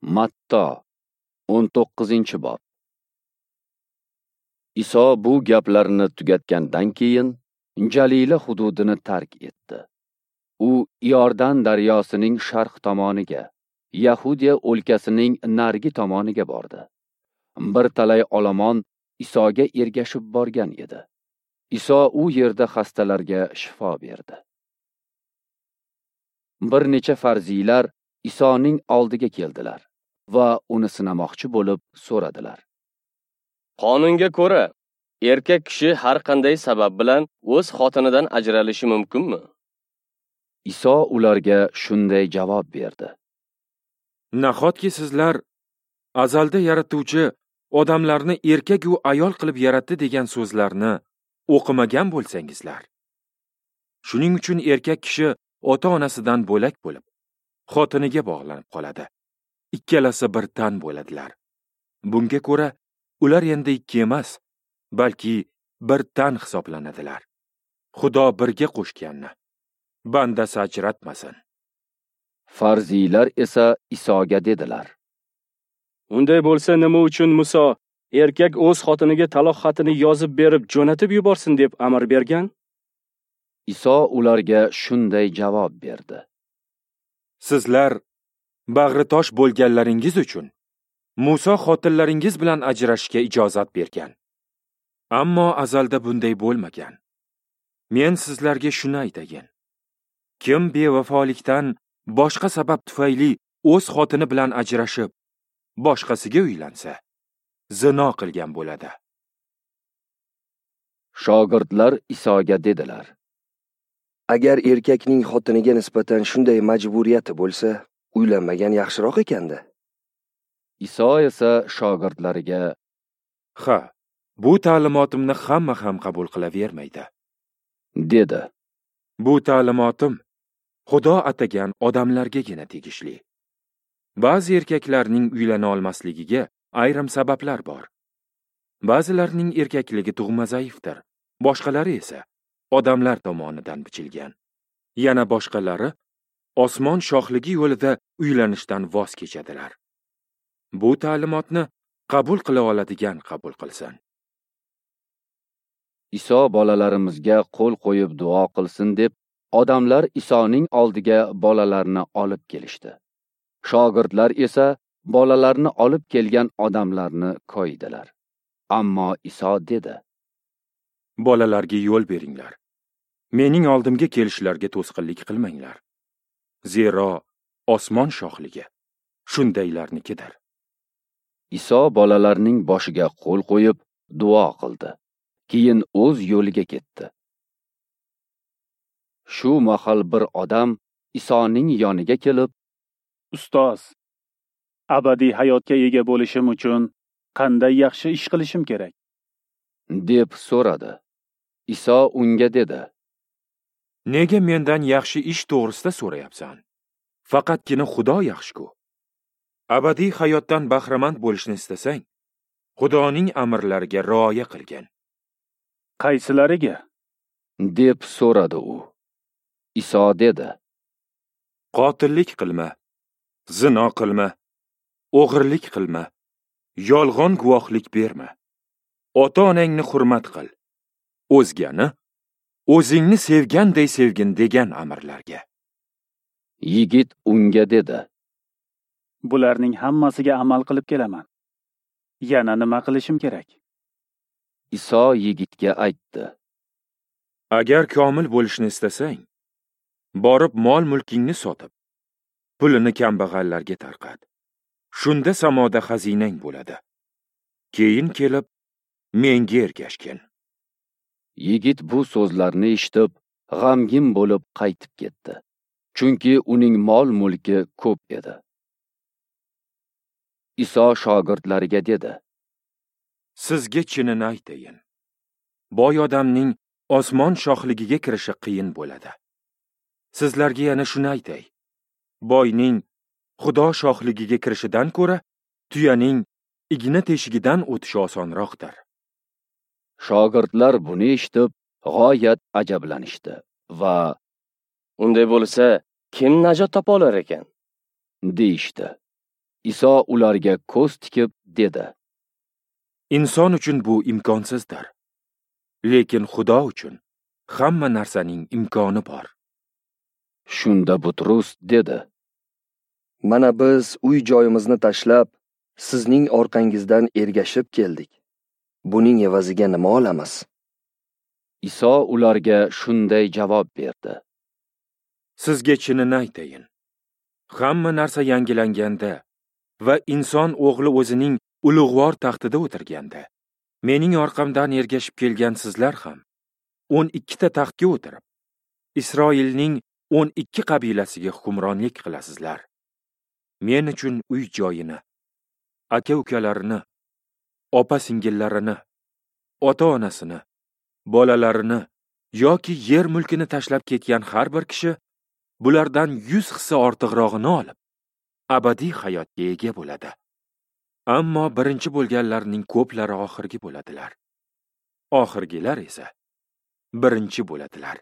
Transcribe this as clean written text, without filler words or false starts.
Matto 19-bob. Iso bu gaplarni tugatgandan keyin Jalila hududini tark etdi. U Iordan daryosining sharq tomoniga, Yahudiya o'lkasining narigi tomoniga bordi. Bir talay olomon Isoga ergashib borgan edi. Iso u yerda xastalarga shifo berdi. Bir necha farziylar Isoning oldiga keldilar va uni sinamoqchi bo'lib so'radilar. Qonunga ko'ra, erkak kishi har qanday sabab bilan o'z xotinidan ajralishi mumkinmi? Iso ularga shunday javob berdi. Nahotki sizlar azalda yaratuvchi odamlarni erkak va ayol qilib yaratdi degan so'zlarni o'qimagan bo'lsangizlar. Shuning uchun erkak kishi ota-onasidan bo'lak bo'lib, xotiniga bog'lanib qoladi. Ikkalasi bir tan bo'ladilar. Bunga ko'ra, ular endi ikki emas, balki bir tan hisoblanadilar. Xudo birga qo'shganni bandasi ajratmasin. Farziylar esa Isoga dedilar: Unday bo'lsa, nima uchun Muso erkak o'z xotiniga taloq xatini yozib berib jo'natib yuborsin deb amr bergan? Iso ularga shunday javob berdi: Sizlar bag'ri tosh bo'lganlaringiz uchun Muso xotinlaringiz bilan ajrashishga ijozat bergan. Ammo azalda bunday bo'lmagan. Men sizlarga shuni aytayin. Kim bevafolikdan boshqa sabab tufayli o'z xotini bilan ajrashib, boshqasiga uylansa, zino qilgan bo'ladi. Shogirdlar Isoga dedilar: Agar erkakning xotiniga nisbatan shunday majburiyati bo'lsa, uylanmagan yaxshiroq ekanda. Iso esa shogirdlariga: Ha, bu ta'limotimni hamma ham qabul qilavermaydi, dedi. Bu ta'limotim Xudo atagan odamlargagina tegishli. Ba'zi erkaklarning uylana olmasligiga ayrim sabablar bor. Ba'zilarning erkakligi tug'ma zaifdir, boshqalari esa odamlar tomonidan bichilgan. Yana boshqalari osmon shohligi yo'lida uylanishdan voz kechadilar. Bu ta'limotni qabul qila oladigan qabul qilsin. Iso bolalarimizga qo'l qo'yib duo qilsin deb odamlar Isoning oldiga bolalarni olib kelishdi. Shogirdlar esa bolalarni olib kelgan odamlarni koydilar. Ammo Iso dedi: Bolalarga yo'l beringlar. Mening oldimga kelishlariga to'sqinlik qilmanglar. Zero osmon shohligi shundaylarnikidir. Iso bolalarning boshiga qo'l qo'yib duo qildi. Keyin o'z yo'liga ketdi. Shu mahal bir odam Isoning yoniga kelib, Ustoz, abadiy hayotga ega bo'lishim uchun qanday yaxshi ish qilishim kerak? deb so'radi. Iso unga dedi: Nega mendan yaxshi ish to'g'risida so'rayapsan? Faqatgina Xudo yaxshi-ku. Abadiy hayotdan bahramand bo'lishni istasang, Xudoning amrlariga rioya qilgin. Qaysilariga? deb so'radi u. Iso dedi: Qotillik qilma, zino qilma, o'g'irlik qilma, yolg'on guvohlik berma, ota-onangni hurmat qil, o'zgani o'zingni sevganday sevgin degan amrlarga. Yigit unga dedi: Bularning hammasiga amal qilib kelaman. Yana nima qilishim kerak? Iso yigitga aytdi: Agar komil bo'lishni istasang, borib mol-mulkingni sotib, pulini kambag'allarga tarqat. Shunda samoda xazinang bo'ladi. Keyin kelib menga ergashgin. Yigit bu so'zlarni eshitib, g'amgin bo'lib qaytib ketdi. Chunki uning mol-mulki ko'p edi. Iso shogirdlariga dedi: Sizga chinini aytayin. Boy odamning osmon shohligiga kirishi qiyin bo'ladi. Sizlarga yana shuni aytay. Boyning Xudo shohligiga kirishidan ko'ra tuyaning igna teshigidan o'tishi osonroqdir. Shogirdlar buni eshitib, g'oyat ajablanishdi va Unday bo'lsa, kim najot topa olar ekan? deyishdi. Iso ularga ko'z tikib dedi: Inson uchun bu imkonsizdir. Lekin Xudo uchun hamma narsaning imkoni bor. Shunda Butrus dedi: Mana biz uy joyimizni tashlab, sizning orqangizdan ergashib keldik. Buning evaziga nima olamiz? Iso ularga shunday javob berdi: Sizga chinini aytayin. Hamma narsa yangilanganda va inson o'g'li o'zining ulug'vor taxtida o'tirganda, mening orqamdan ergashib kelgan sizlar ham 12 ta taxtga o'tirib, Isroilning 12 qabilasiga hukmronlik qilasizlar. Men uchun uy joyini, aka-ukalarini, opa-singillarini, ota-onasini, bolalarini yoki yer mulkini tashlab ketgan har bir kishi bulardan 100 hissa ortiqrog'ini olib, abadiy hayotga ega bo'ladi. Ammo birinchi bo'lganlarning ko'plari oxirgi bo'ladilar. Oxirgilar esa birinchi bo'ladilar.